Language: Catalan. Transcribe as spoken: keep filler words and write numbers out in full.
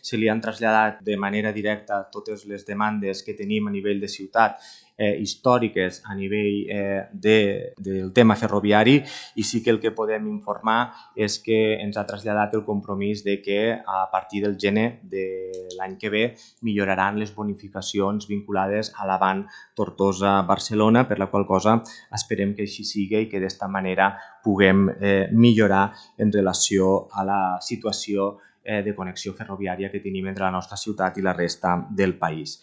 se li han traslladat de manera directa totes les demandes que tenim a nivell de ciutat eh, històriques a nivell eh, de, del tema ferroviari, i sí que el que podem informar és que ens ha traslladat el compromís de que a partir del gener de l'any que ve milloraran les bonificacions vinculades a l'avant Tortosa-Barcelona, per la qual cosa esperem que així sigui i que d'esta manera puguem eh, millorar en relació a la situació eh, de connexió ferroviària que tenim entre la nostra ciutat i la resta del país.